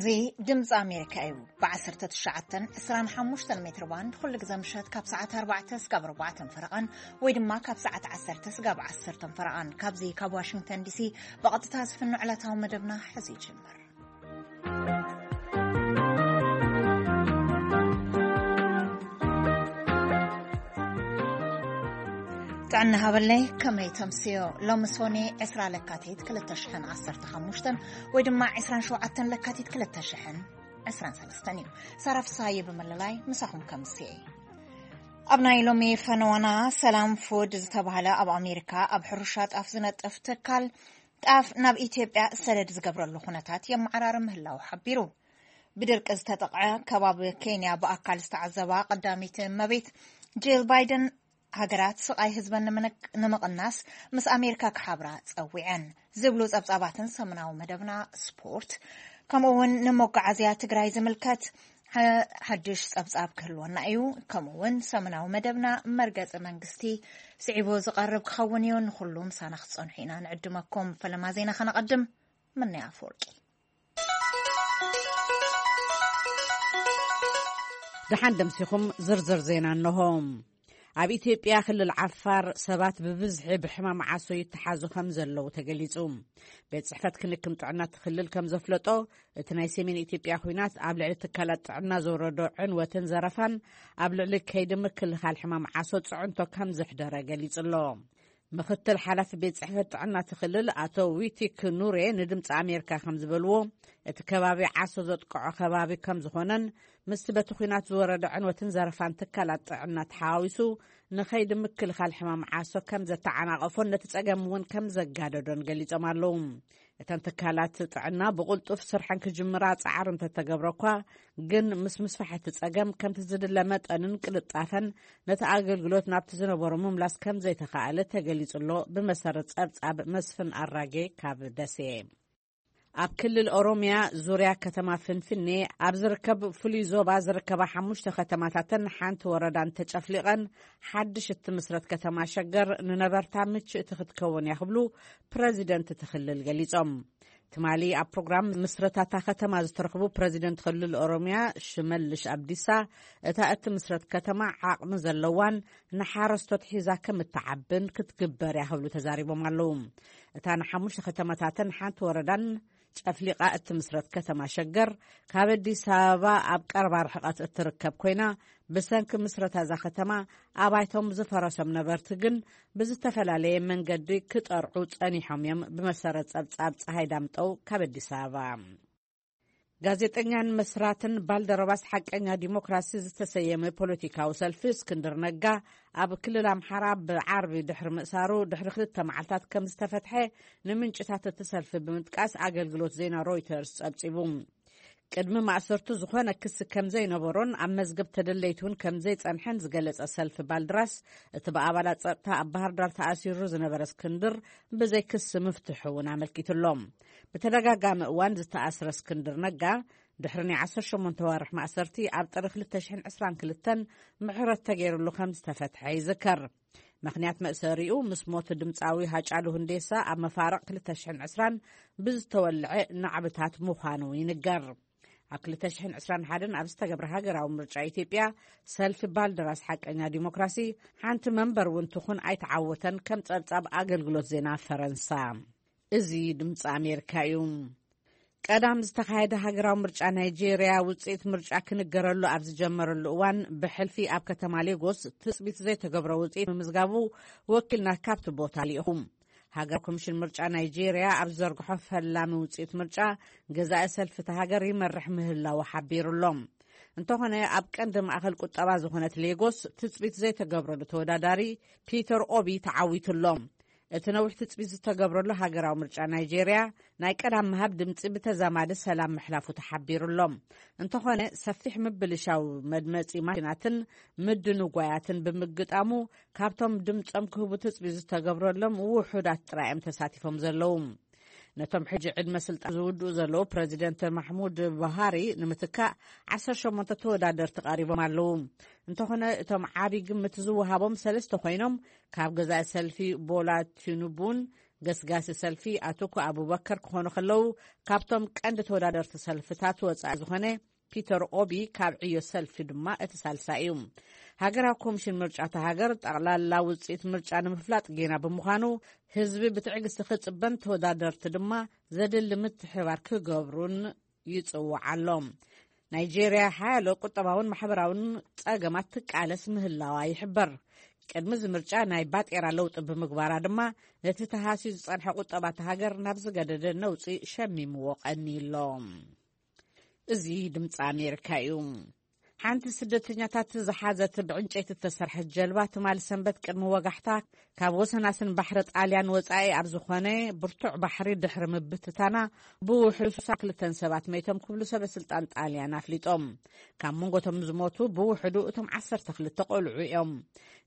እዚ ድምፂ ኣሜሪካ እዩ። ብ19፣ 25 ሜትር ባንድ ኩሉ ግዜ ምሸት ካብ ሰዓት ኣርባዕተ ስጋብ ኣርባዕተን ፈረቓን ወይ ድማ ካብ ሰዓት ዓሰርተ ስጋብ ዓሰርተን ፈረቓን ካብዚ ካብ ዋሽንግተን ዲሲ ብቐጥታ ዝፍኖ ዕለታዊ መደብና ሕዚ ይጅምር። ጥዕና ሃበለይ፣ ከመይ ተምስዮ? ሎሚ ሶኔ ዕስራ ለካቲት ክልተ ሽሕን ዓሰርተ ሓሙሽተን ወይ ድማ ዕስራን ሸውዓተን ለካቲት ክልተ ሽሕን ዕስራን ሰለስተን እዩ። ሳራ ፍስሃየ ብምልላይ ምሳኹም ከምስየ። ኣብ ናይ ሎሚ ፈነዋና፣ ሰላም ፉድ ዝተባህለ ኣብ ኣሜሪካ ኣብ ሕርሻ ጣፍ ዝነጥፍ ትካል ጣፍ ናብ ኢትዮጵያ ሰደድ ዝገብረሉ ኩነታት የመዓራሪ ምህላው ሓቢሩ። ብድርቂ ዝተጠቕዐ ከባቢ ኬንያ ብኣካል ዝተዓዘባ ቀዳሚት እመቤት ጂል ባይደን፣ ሃገራት ስቓይ ህዝበን ንምንቅ-፣ ንምቕናስ ምስ ኣሜሪካ ክሓብራ ጸዊዐን ዝብሉ ጸብጻባትን ሰሙናዊ መደብና ስፖርት፣ ከምኡ እውን ንመጓዓዝያ ትግራይ ዝምልከት ሓ-፣ ሓድሽ ጸብጻብ ክህልወና እዩ። ከምኡ እውን ሰሙናዊ መደብና መርገጺ መንግስቲ ስዒቡ ዝቐርብ ክኸውን እዩ። ንኹሉ ምሳና ክትጸንሑ ኢና ንዕድመኩም። ፈለማ ዜና ከነቐድም። ምንያ ኣፈወርቂ። ደሓን ደምሲኹም። ዝርዝር ዜና እንሆ። ኣብ ኢትዮጵያ ክልል ዓፋር ሰባት ብብዝሒ ብሕማም ዓሶ ይተሓዙ ከም ዘለዉ ተገሊጹ። ቤት ጽሕፈት ክንክን ጥዕና እቲ ክልል ከም ዘፍለጦ፣ እቲ ናይ ሰሜን ኢትዮጵያ ኲናት ኣብ ልዕሊ ትካላት ጥዕና ዘውረዶ ዕንወትን ዘረፋን ኣብ ልዕሊ ከይዲ ምክልኻል ሕማም ዓሶ ጽዕንቶ ከም ዘሕደረ ገሊጹ ኣሎ። ምኽትል ሓላፊ ቤት ጽሕፈት ጥዕና እቲ ክልል ኣቶ ዊቲክ ኑሬ ንድምፂ ኣሜሪካ ከም ዝበልዎ፣ እቲ ከባቢ ዓሶ ዘጥቅዖ ከባቢ ከም ዝኾነን ምስቲ በቲ ኲናት ዝወረደ ዕንወትን ዘረፋን ትካላት ጥዕና ተሓዋዊሱ ንኸይዲ ምክልኻል ሕማም ዓሶ ከም ዘተዓናቐፎን ነቲ ጸገም እውን ከም ዘጋደዶን ገሊጾም ኣለዉ። እተን ትካላት ጥዕና ብቕልጡፍ ስርሐን ክጅምራ ጻዕሪ እንተተገብረ እኳ፣ ግን ምስ ምስፋሕ እቲ ጸገም ከምቲ ዝድለ መጠንን ቅልጣፈን ነቲ ኣገልግሎት ናብቲ ዝነበሮ ምምላስ ከም ዘይተኻእለ ተገሊጹ ኣሎ። ብመሰረት ጸብጻብ መስፍን ኣራጌ ካብ ደሴ። ኣብ ክልል ኦሮሚያ ዙርያ ከተማ ፍንፍኔ ኣብ ዝርከብ ፍሉይ ዞባ ዝርከባ ሓሙሽተ ከተማታትን ሓንቲ ወረዳን ተጨፍሊቐን፣ ሓድሽ እትምስረት ከተማ ሸገር ንነበርታ ምችእቲ ክትከውን እያ ክብሉ ፕረዚደንት እቲ ክልል ገሊጾም። ትማሊ ኣብ ፕሮግራም ምስረታታ ከተማ ዝተረኽቡ ፕረዚደንት ክልል ኦሮሚያ ሽመልሽ ኣብዲሳ፣ እታ እትምስረት ከተማ ዓቕሚ ዘለዋን ንሓረስቶት ሒዛ ከም እትዓብን ክትግበር እያ ክብሉ ተዛሪቦም ኣለዉ። እታ ንሓሙሽተ ከተማታትን ሓንቲ ወረዳን ጨፍሊቓ እትምስረት ከተማ ሸገር፣ ካብ ኣዲስ ኣበባ ኣብ ቀረባ ርሕቐት እትርከብ ኮይና፣ ብሰንኪ ምስረታ እዛ ከተማ፣ ኣባይቶም ዝፈረሶም ነበርቲ ግን ብዝተፈላለየ መንገዲ ክጠርዑ ጸኒሖም እዮም። ብመሰረት ጸብጻብ ጸሃይ ዳምጠው ካብ ኣዲስ ኣበባ። ጋዜጠኛን መስራትን ባልደረባስ ሓቀኛ ዲሞክራሲ ዝተሰየመ ፖለቲካዊ ሰልፊ እስክንድር ነጋ፣ ኣብ ክልል ኣምሓራ ብዓርቢ ድሕሪ ምእሳሩ ድሕሪ ክልተ መዓልታት ከም ዝተፈትሐ ንምንጭታት እቲ ሰልፊ ብምጥቃስ ኣገልግሎት ዜና ሮይተርስ ጸብጺቡ። ቅድሚ ማእሰርቱ ዝኾነ ክሲ ከም ዘይነበሮን ኣብ መዝገብ ተደለይቲ እውን ከም ዘይጸንሐን ዝገለጸ ሰልፊ ባልድራስ፣ እቲ ብኣባላት ጸጥታ ኣብ ባህር ዳር ተኣሲሩ ዝነበረ እስክንድር ብዘይ ክሲ ምፍትሑ እውን ኣመልኪቱ ኣሎ። ብተደጋጋሚ እዋን ዝተኣስረ እስክንድር ነጋ፣ ድሕሪ ናይ ዓሰርተ ሸሞንተ ዋርሕ ማእሰርቲ ኣብ ጥሪ ክልተ ሽሕን ዕስራን ክልተን ምሕረት ተገይሩሉ ከም ዝተፈትሐ ይዝከር። ምኽንያት መእሰሪኡ፣ ምስ ሞት ድምጻዊ ሃጫሉ ሁንዴሳ ኣብ መፋርቕ ክልተ ሽሕን ዕስራን ብዝተወልዐ ናዕብታት ምዃኑ ይንገር። ኣብ ክልተ ሽሕን ዕስራን ሓደን ኣብ ዝተገብረ ሃገራዊ ምርጫ ኢትዮጵያ፣ ሰልፊ ባልደራስ ሓቀኛ ዲሞክራሲ ሓንቲ መንበር እውን ትኹን ኣይተዓወተን፣ ከም ጸብጻብ ኣገልግሎት ዜና ፈረንሳ። እዚ ድምፂ ኣሜሪካ እዩ። ቀዳም ዝተኻየደ ሃገራዊ ምርጫ ናይጄርያ ውፅኢት ምርጫ ክንገረሉ ኣብ ዝጀመረሉ እዋን፣ ብሕልፊ ኣብ ከተማ ሌጎስ ትፅቢት ዘይተገብሮ ውፅኢት ምምዝጋቡ ወኪልና ካብቲ ቦታ ልኢኹ። ሃገራዊ ኮሚሽን ምርጫ ናይጄርያ ኣብ ዝዘርግሖ ፈላሚ ውፅኢት ምርጫ፣ ገዛኢ ሰልፊ እታ ሃገር ይመርሕ ምህላዉ ሓቢሩ ኣሎ። እንተኾነ፣ ኣብ ቀንዲ ማእኸል ቁጠባ ዝኾነት ሌጎስ ትፅቢት ዘይተገብረሉ ተወዳዳሪ ፒተር ኦቢ ተዓዊቱ ኣሎ። እቲ ነዊሕ ትጽቢት ዝተገብረሉ ሃገራዊ ምርጫ ናይጄርያ፣ ናይ ቀዳም ምሃብ ድምጺ ብተዛማዲ ሰላም ምሕላፉ ተሓቢሩ ኣሎ። እንተኾነ፣ ሰፊሕ ምብልሻው መድመጺ ማሽናትን ምድንጓያትን ብምግጣሙ፣ ካብቶም ድምጾም ክህቡ ትጽቢት ዝተገብረሎም ውሑዳት ጥራይ እዮም ተሳቲፎም ዘለዉ። ነቶም ሕጂ ዕድመ ስልጣን ዝውድኡ ዘለዉ ፕረዚደንት ማሕሙድ ቡሃሪ ንምትካእ ዓሰርተ ሸሞንተ ተወዳደርቲ ቀሪቦም ኣለዉ። እንተኾነ፣ እቶም ዓቢ ግምት ዝወሃቦም ሰለስተ ኮይኖም፣ ካብ ገዛኢ ሰልፊ ቦላ ቲኑቡን ገስጋሲ ሰልፊ ኣቶኮ ኣቡበከር ክኾኑ ከለዉ፣ ካብቶም ቀንዲ ተወዳደርቲ ሰልፍታት ወጻኢ ዝኾነ ፒተር ኦቢ ካብ ዕዮ ሰልፊ ድማ እቲ ሳልሳይ እዩ። ሃገራዊ ኮሚሽን ምርጫ እታ ሃገር ጠቕላላ ውጽኢት ምርጫ ንምፍላጥ ጌና ብምዃኑ፣ ህዝቢ ብትዕግስቲ ክጽበን ተወዳደርቲ ድማ ዘድሊ ምትሕባር ክገብሩን ይጽውዓሎም። ናይጄርያ ሓያሎ ቁጠባውን ማሕበራውን ጸገማት ትቃለስ ምህላዋ ይሕበር። ቅድሚ እዚ ምርጫ ናይ ባጤራ ለውጢ ብምግባራ ድማ ነቲ ተሃስዩ ዝጸንሐ ቁጠባ እታ ሃገር ናብ ዝገደደ ነውጺ ሸሚምዎ ቀንዩ ኣሎ። እዚ ድምፂ ኣሜሪካ እዩ። ሓንቲ ስደተኛታት ዝሓዘት ብዕንጨይቲ እተሰርሐት ጀልባ ትማሊ ሰንበት ቅድሚ ወጋሕታ ካብ ወሰናስን ባሕሪ ጣልያን ወጻኢ ኣብ ዝኾነ ብርቱዕ ባሕሪ ድሕሪ ምብትታና ብውሕዱ ሳ ክልተን ሰባት መይቶም ክብሉ ሰበ ስልጣን ጣልያን ኣፍሊጦም። ካብ መንጎቶም ዝሞቱ ብውሕዱ እቶም ዓሰርተ ክልተ ቆልዑ እዮም።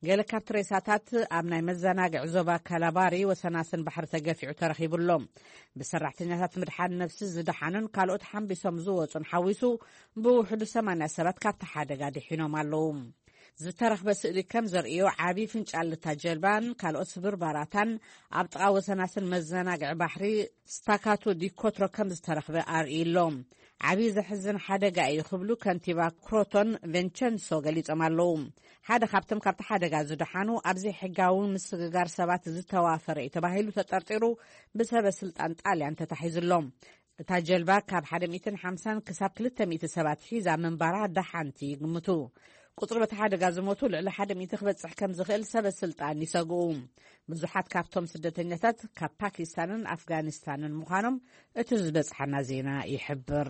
ገለ ካብቲ ሬሳታት ኣብ ናይ መዘናግዒ ዞባ ካላባሪ ወሰናስን ባሕሪ ተገፊዑ ተረኺቡ ኣሎ። ብሰራሕተኛታት ምድሓን ነፍሲ ዝደሓኑን ካልኦት ሓምቢሶም ዝወጹን ሓዊሱ ብውሕዱ ሰማንያ ሰባት ካብቲ ሓደጋ ድሒኖም ኣለዉ። ዝተረኽበ ስእሊ ከም ዘርእዮ ዓቢ ፍንጫል እታ ጀልባን ካልኦት ስብርባራታን ኣብ ጥቓ ወሰናስን መዘናግዒ ባሕሪ ስታካቶ ዲኮትሮ ከም ዝተረኽበ ኣርእዩ ኣሎ። ዓቢ ዘሕዝን ሓደጋ እዩ ክብሉ ከንቲባ ክሮቶን ቬንቸንሶ ገሊጾም ኣለዉ። ሓደ ካብቶም ካብቲ ሓደጋ ዝደሓኑ ኣብ ዘይሕጋዊ ምስግጋር ሰባት ዝተዋፈረ እዩ ተባሂሉ ተጠርጢሩ ብሰበ ስልጣን ጣልያን ተታሒዙ ኣሎ። እታ ጀልባ ካብ ሓደ ሚእትን ሓምሳን ክሳብ ክልተ ሚእቲ ሰባት ሒዛ ምንባራ ደሓንቲ ይግምቱ። ቁጽሪ በቲ ሓደጋ ዝሞቱ ልዕሊ ሓደ ሚእቲ ክበጽሕ ከም ዝኽእል ሰበ ስልጣን ይሰግኡ። ብዙሓት ካብቶም ስደተኛታት ካብ ፓኪስታንን ኣፍጋኒስታንን ምዃኖም እቲ ዝበጽሓና ዜና ይሕብር።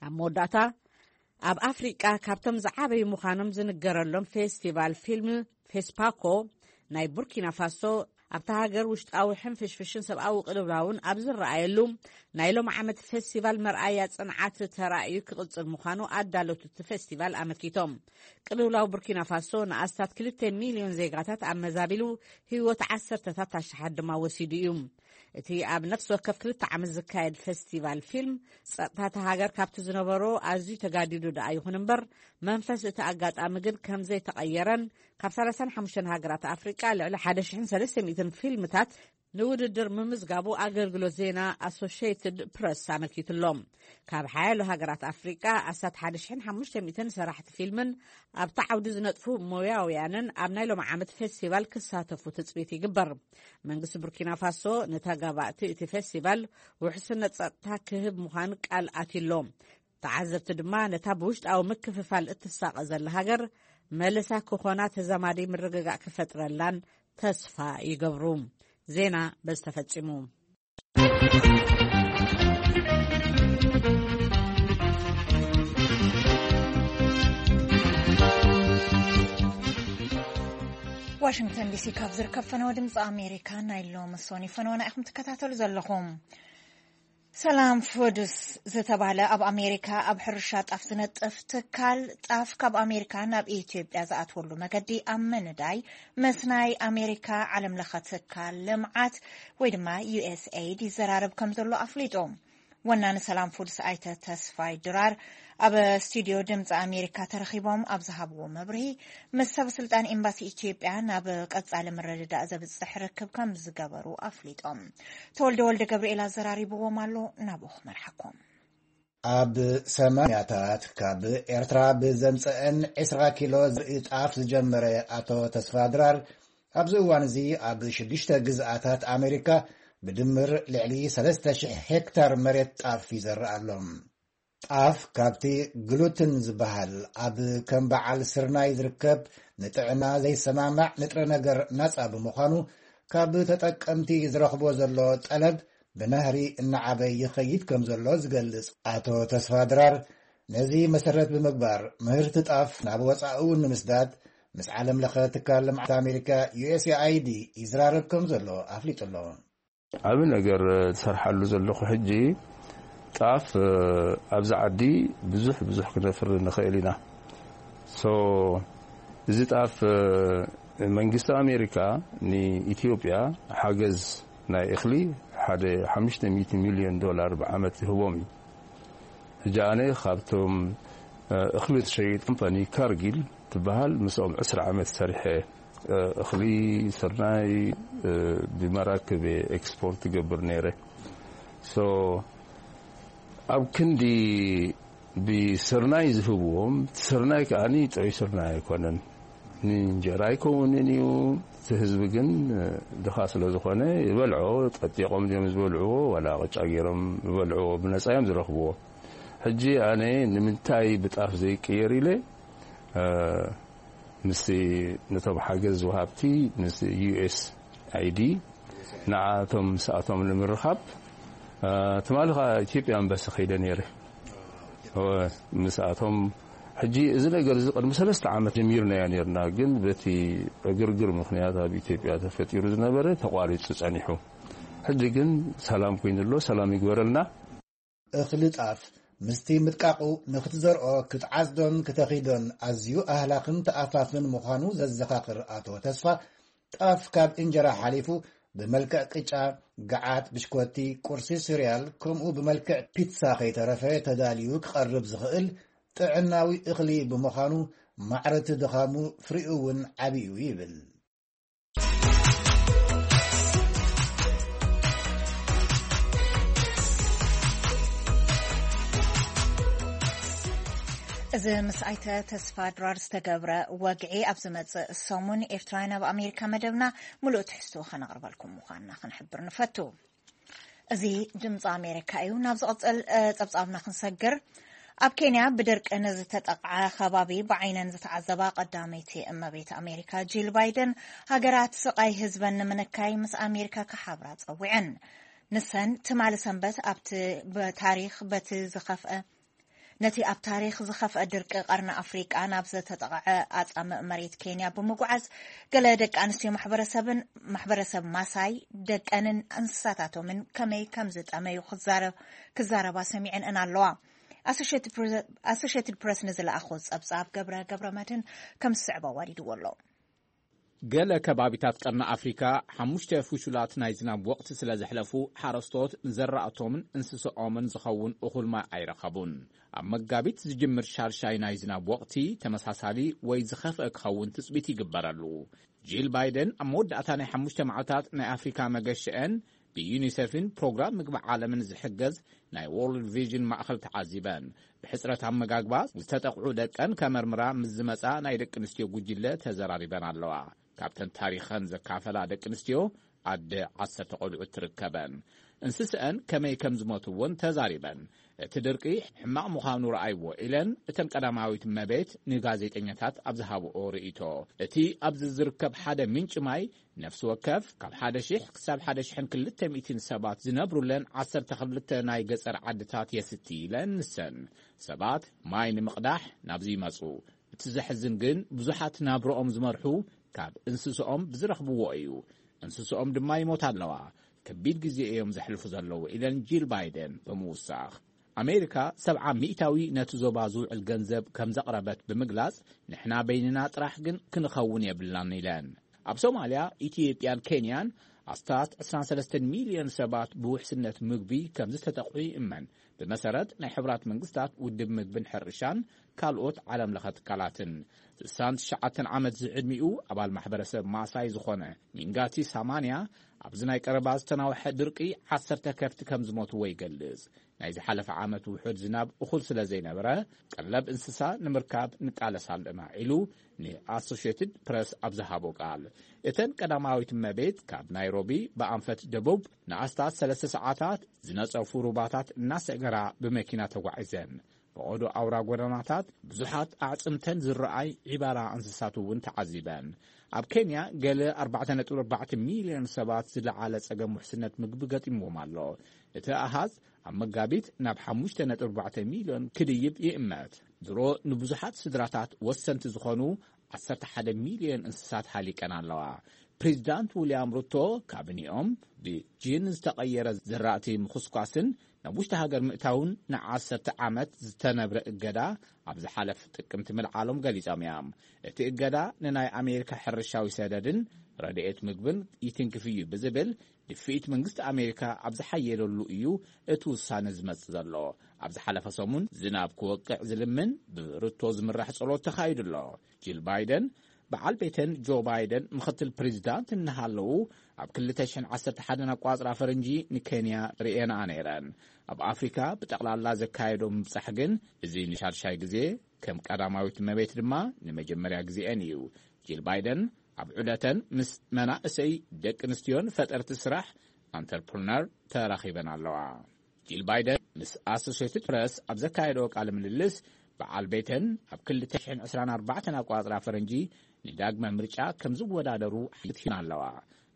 ኣብ መወዳእታ፣ ኣብ ኣፍሪቃ ካብቶም ዝዓበዩ ምዃኖም ዝንገረሎም ፌስቲቫል ፊልም ፌስፓኮ ናይ ቡርኪና ፋሶ፣ ኣብታ ሃገር ውሽጣዊ ሕንፍሽፍሽን ሰብኣዊ ቅልውላውን ኣብ ዝረኣየሉ ናይ ሎም ዓመት ፌስቲቫል መርኣያ ጽንዓት ተራእዩ ክቕጽል ምዃኑ ኣዳለውቲ እቲ ፌስቲቫል ኣመልኪቶም። ቅልውላው ቡርኪና ፋሶ ንኣስታት ክልተ ሚልዮን ዜጋታት ኣመዛቢሉ ህይወት ዓሰርተታት ኣሽሓት ድማ ወሲዱ እዩ። እቲ ኣብ ነፍሲ ወከፍ ክልተ ዓመት ዝካየድ ፌስቲቫል ፊልም ጸጥታ እታ ሃገር ካብቲ ዝነበሮ ኣዝዩ ተጋዲዱ ደኣ ይኹን እምበር፣ መንፈስ እቲ ኣጋጣሚ ግን ከም ዘይተቐየረን ካብ ሰላሳን ሓሙሽተን ሃገራት ኣፍሪቃ ልዕሊ ሓደ ሽሕን ሰለስተ ሚእትን ፊልምታት ንውድድር ምምዝጋቡ ኣገልግሎት ዜና ኣሶሽየትድ ፕረስ ኣመልኪቱ ኣሎ። ካብ ሓያሎ ሃገራት ኣፍሪቃ ኣስታት ሓደ ሽሕን ሓሙሽተ ሚእትን ሰራሕቲ ፊልምን ኣብቲ ዓውዲ ዝነጥፉ ሞያውያንን ኣብ ናይ ሎም ዓመት ፌስቲቫል ክሳተፉ ትጽቢት ይግበር። መንግስቲ ቡርኪና ፋሶ ንተጋባእቲ እቲ ፌስቲቫል ውሕስነት ጸጥታ ክህብ ምዃኑ ቃል ኣትዩ ኣሎ። ተዓዘብቲ ድማ ነታ ብውሽጣዊ ምክፍፋል እትሳቐ ዘላ ሃገር መልሳ ክኾና ተዛማዲ ምርግጋእ ክፈጥረላን ተስፋ ይገብሩ። ዜና በዚ ተፈጺሙ። ዋሽንግተን ዲሲ ካብ ዝርከብ ፈነወ ድምፂ ኣሜሪካ ናይ ሎሚ ሶኒ ፈነወና ኢኹም ትከታተሉ ዘለኹም። ሰላም ፉድስ ዝተባህለ ኣብ ኣሜሪካ ኣብ ሕርሻ ጣፍ ዝነጥፍ ትካል፣ ጣፍ ካብ ኣሜሪካ ናብ ኢትዮጵያ ዝኣትወሉ መገዲ ኣብ ምንዳይ ምስ ናይ ኣሜሪካ ዓለም ለኸ ትካል ልምዓት ወይ ድማ ዩ ኤስ ኤይድ ይዘራረብ ከም ዘሎ ኣፍሊጡ። ወናኒ ሰላም ፉድስ ኣይተ ተስፋይ ድራር ኣብ ስቱዲዮ ድምፂ ኣሜሪካ ተረኺቦም ኣብ ዝሃብዎ መብርሂ፣ ምስ ሰበ ስልጣን ኤምባሲ ኢትዮጵያ ናብ ቀጻሊ ምርድዳእ ዘብጽሕ ርክብ ከም ዝገበሩ ኣፍሊጦም። ተወልደ ወልደ ገብርኤል ኣዘራሪብዎም ኣሎ። ናብኡ ክመርሓኩም። ኣብ ሰማንያታት ካብ ኤርትራ ብዘምጸአን ዕስራ ኪሎ ዘርኢ ጣፍ ዝጀመረ ኣቶ ተስፋ ድራር፣ ኣብዚ እዋን እዚ ኣብ ሽዱሽተ ግዝኣታት ኣሜሪካ ብድምር ልዕሊ ሰለስተ ሽሕ ሄክታር መሬት ጣፍ ይዘርእ ኣሎ። ጣፍ ካብቲ ግሉትን ዝበሃል ኣብ ከም በዓል ስርናይ ዝርከብ ንጥዕና ዘይሰማማዕ ንጥረ ነገር ናጻ ብምዃኑ፣ ካብ ተጠቀምቲ ዝረኽቦ ዘሎ ጠለብ ብናህሪ እናዓበ ይኸይድ ከም ዘሎ ዝገልጽ ኣቶ ተስፋ ድራር፣ ነዚ መሰረት ብምግባር ምህርቲ ጣፍ ናብ ወጻኢ እውን ንምስዳድ ምስ ዓለም ለኸ ትካል ልምዓት ኣሜሪካ ዩ ኤስ ኤ ኣይ ዲ ይዝራረብ ከም ዘሎ ኣፍሊጡ ኣሎ። ዓቢ ነገር ዝሰርሓሉ ዘለኹ ሕጂ ጣፍ፣ እ፣ ኣብዚ ዓዲ ብዙሕ ብዙሕ ክነፍሪ ንኽእል ኢና። ሶ እዚ ጣፍ፣ እ፣ መንግስቲ ኣሜሪካ ንኢትዮጵያ ሓገዝ ናይ እኽሊ ሓደ ሓሙሽተ ሚእቲ ሚልዮን ዶላር ብዓመት ይህቦም እዩ። ሕጂ ኣነ ካብቶም፣ እ፣ እኽሊ ትሸይጥ ኮምፓኒ ካርጊል ትበሃል ምስኦም ዕስራ ዓመት ሰሪሐ። እኽሊ ስርናይ ብመራክብ ኤክስፖርት ገብር ነይረ። ሶ ኣብ ክንዲ ብስርናይ ዝህብዎም፣ ስርናይ ከዓኒ ጥዑይ ስርናይ ኣይኮነን። ንእንጀራ ኣይከውንን እዩ። እቲ ህዝቢ ግን ድኻ ስለ ዝኾነ ይበልዖ። ጠጢቖም ድዮም ዝበልዕዎ ዋላ ቅጫ ገይሮም ዝበልዕዎ ብነጻ እዮም ዝረኽብዎ። ሕጂ ኣነ ንምንታይ ብጣፍ ዘይቅየር ኢለ፣ እ፣ ምስቲ ነቶም ሓገዝ ወሃብቲ ምስ ዩ ኤስ ኣይ ዲ ንዓቶም ምስኣቶም ንምርኻብ፣ እ፣ ትማሊ ኸዓ ኢትዮጵያ ኤምባሲ ከይደ ነይረ። እ፣ ምስኣቶም ሕጂ እዚ ነገር እዚ ቅድሚ ሰለስተ ዓመት ጀሚርናዮ ነይርና፣ ግን በቲ ዕግርግር ምኽንያት ኣብ ኢትዮጵያ ተፈጢሩ ዝነበረ ተቋሪጹ ጸኒሑ። ሕጂ ግን ሰላም ኮይኑ ኣሎ፣ ሰላም ይግበረልና። እኽሊ ጣፍ ምስቲ ምድቃቑ ንኽትዘርኦ ክትዓጽዶን ክተኺዶን ኣዝዩ ኣህላኽን ተኣፋፍን ምዃኑ ዘዘኻኽር ኣቶ ተስፋ፣ ጣፍ ካብ እንጀራ ሓሊፉ ብመልክዕ ቅጫ፣ ገዓት፣ ብሽኮቲ፣ ቁርሲ፣ ሲርያል፣ ከምኡ ብመልክዕ ፒትሳ ከይተረፈ ተዳልዩ ክቐርብ ዝኽእል ጥዕናዊ እኽሊ ብምዃኑ፣ ማዕረቲ ድኻሙ ፍሪኡ እውን ዓብዩ ይብል። እዚ ምስ ኣይተ ተስፋ ድራር ዝተገብረ ወግዒ ኣብ ዝመጽእ ሰሙን ኤርትራውያን ኣብ ኣሜሪካ መደብና ምሉእ ትሕዝትኡ ከነቕርበልኩም ምዃንና ክንሕብር ንፈቱ። እዚ ድምፂ ኣሜሪካ እዩ። ናብ ዝቕፅል፣ እ፣ ጸብጻብና ክንሰግር፣ ኣብ ኬንያ ብድርቂ ንዝተጠቕዐ ከባቢ ብዓይነን ዝተዓዘባ ቀዳመይቲ እመቤት ኣሜሪካ ጂል ባይደን፣ ሃገራት ስቓይ ህዝበን ንምንካይ ምስ ኣሜሪካ ክሓብራ ጸዊዐን። ንሰን ትማሊ ሰንበት ኣብቲ ብታሪኽ በቲ ዝኸፍአ ነቲ ኣብ ታሪኽ ዝኸፍአ ድርቂ ቀርኒ ኣፍሪቃ ናብ ዝተጠቕዐ ኣጻምእ መሬት ኬንያ ብምጉዓዝ፣ ገለ ደቂ ኣንስትዮ ማሕበረሰብን ማሕበረሰብ ማሳይ ደቀንን እንስሳታቶምን ከመይ ከም ዝጠመዩ ክዛረ-፣ ክዛረባ ሰሚዐን ኣለዋ። ኣሶሼትድ ፕረ-፣ ኣሶሼትድ ፕረስ ንዝለኣኾ ጸብጻብ ገብረ ገብረ መድህን ከም ዝስዕብ ኣዋዲድዎ ኣሎ። ገለ ከባቢታት ቀርኒ ኣፍሪካ ሓሙሽተ ፍሹላት ናይ ዝናብ ወቕቲ ስለ ዘሕለፉ፣ ሓረስቶት ንዘራእቶምን እንስስኦምን ዝኸውን እኹል ማይ ኣይረኸቡን። ኣብ መጋቢት ዝጅምር ሻድሻይ ናይ ዝናብ ወቕቲ ተመሳሳሊ ወይ ዝኸፍአ ክኸውን ትጽቢት ይግበረሉ። ጂል ባይደን ኣብ መወዳእታ ናይ ሓሙሽተ መዓልታት ናይ ኣፍሪካ መገሸአን ብዩኒሴፍን ፕሮግራም ምግቢ ዓለምን ዝሕገዝ ናይ ዎርልድ ቪዥን ማእኸል ተዓዚበን። ብሕፅረት ኣመጋግባ ዝተጠቕዑ ደቀን ከመርምራ ምስ ዝመፃ ናይ ደቂ ኣንስትዮ ጉጅለ ተዘራሪበን ኣለዋ። ካብተን ታሪኸን ዘካፈላ ደቂ ኣንስትዮ ኣደ ዓሰርተ ቆልዑት ትርከበን። እንስስአን ከመይ ከም ዝሞቱ እውን ተዛሪበን። እቲ ድርቂ ሕማቕ ምዃኑ ረኣይዎ ኢለን እተን ቀዳማዊት እመቤት ንጋዜጠኛታት ኣብ ዝሃብኦ ርእይቶ። እቲ ኣብዚ ዝርከብ ሓደ ምንጪ ማይ ነፍሲ ወከፍ ካብ ሓደ ሺሕ ክሳብ ሓደ ሺሕን ክልተ ሚእትን ሰባት ዝነብሩለን ዓሰርተ ክልተ ናይ ገጸር ዓድታት የስቲ ኢለን ንሰን። ሰባት ማይ ንምቕዳሕ ናብዚ ይመጹ። እቲ ዘሕዝን ግን ብዙሓት ናብርኦም ዝመርሑ ካብ እንስስኦም ብዝረኽብዎ እዩ። እንስስኦም ድማ ይሞታ ኣለዋ። ከቢድ ግዜ እዮም ዘሕልፉ ዘለዉ ኢለን ጂል ባይደን ብምውሳኽ። ኣሜሪካ ሰብዓ ሚእታዊ ነቲ ዞባ ዝውዕል ገንዘብ ከም ዘቕረበት ብምግላጽ፣ ንሕና በይንና ጥራሕ ግን ክንኸውን የብልናን ኢለን። ኣብ ሶማልያ፣ ኢትዮጵያን ኬንያን ኣስታት ዕስራን ሰለስተን ሚልዮን ሰባት ብውሕስነት ምግቢ ከም ዝተጠቕዑ ይእመን። ብመሰረት ናይ ሕቡራት መንግስታት ውድብ ምግብን ሕርሻን ካልኦት ዓለም ለኸ ትካላትን። ስሳን ትሽዓተን ዓመት ዝዕድሚኡ ኣባል ማሕበረሰብ ማሳይ ዝኾነ ሚንጋቲ ሳማንያ፣ ኣብዚ ናይ ቀረባ ዝተናውሐ ድርቂ ዓሰርተ ከፍቲ ከም ዝሞትዎ ይገልጽ። ናይ ዝሓለፈ ዓመት ውሑድ ዝናብ እኹል ስለ ዘይነበረ፣ ቀለብ እንስሳ ንምርካብ ንቃለስ ኣለና ኢሉ ንኣሶሽየትድ ፕረስ ኣብ ዝሃቦ ቃል። እተን ቀዳማዊት እመቤት ካብ ናይሮቢ ብኣንፈት ደቡብ ንኣስታት ሰለስተ ሰዓታት ዝነጸፉ ሩባታት እናሰገራ ብመኪና ተጓዒዘን። ፈቐዶ ኣውራ ጎደናታት ብዙሓት ኣዕጽምተን ዝረኣይ ዒባራ እንስሳት እውን ተዓዚበን። ኣብ ኬንያ ገለ ኣርባዕተ ነጥቢ ኣርባዕተ ሚልዮን ሰባት ዝለዓለ ጸገም ውሕስነት ምግቢ ገጢምዎም ኣሎ። እቲ ኣሃዝ ኣብ መጋቢት ናብ ሓሙሽተ ነጥቢ ኣርባዕተ ሚልዮን ክድይብ ይእመት። ድሮ ንብዙሓት ስድራታት ወሰንቲ ዝኾኑ ዓሰርተ ሓደ ሚልዮን እንስሳት ሃሊቀን ኣለዋ። ፕሬዚዳንት ዊልያም ሩቶ ካቢኔኦም ብጂን ዝተቐየረ ዘራእቲ ምኹስኳስን ናብ ውሽጢ ሃገር ምእታውን ንዓሰርተ ዓመት ዝተነብረ እገዳ ኣብ ዝሓለፈ ጥቅምቲ ምልዓሎም ገሊጾም እዮም። እቲ እገዳ ንናይ ኣሜሪካ ሕርሻዊ ሰደድን ረድኤት ምግብን ይትንክፍ እዩ ብዝብል ድፍኢት መንግስቲ ኣሜሪካ ኣብ ዝሓየለሉ እዩ እቲ ውሳነ ዝመጽእ ዘሎ። ኣብ ዝሓለፈ ሰሙን ዝናብ ክወቅዕ ዝልምን ብሩቶ ዝምራሕ ጸሎት ተኻይዱ ኣሎ። ጂል ባይደን በዓል ቤተን ጆ ባይደን ምኽትል ፕሬዚዳንት እናሃለዉ፣ ኣብ ክልተ ሽሕን ዓሰርተ ሓደን ኣቋጽራ ፈረንጂ ንኬንያ ርእየንኣ ነይረን። ኣብ ኣፍሪካ ብጠቕላላ ዘካየዶ ምብጻሕ ግን፣ እዚ ንሻድሻይ ግዜ፣ ከም ቀዳማዊት እመቤት ድማ ንመጀመርያ ግዜኤን እዩ። ጂል ባይደን ኣብ ዑደተን ምስ መናእሰይ፣ ደቂ ኣንስትዮን ፈጠርቲ ስራሕ፣ ኣንተርፕርነር፣ ተራኺበን ኣለዋ። ጂል ባይደን ምስ ኣሶሴትድ ፕረስ ኣብ ዘካየዶ ቃለ ምልልስ፣ በዓል ቤተን ኣብ ክልተ ሽሕን ዕስራን ኣርባዕተን ኣቋጽራ ፈረንጂ ንዳግመ ምርጫ ከም ዝወዳደሩ ሓልዮት ሂበን ኣለዋ።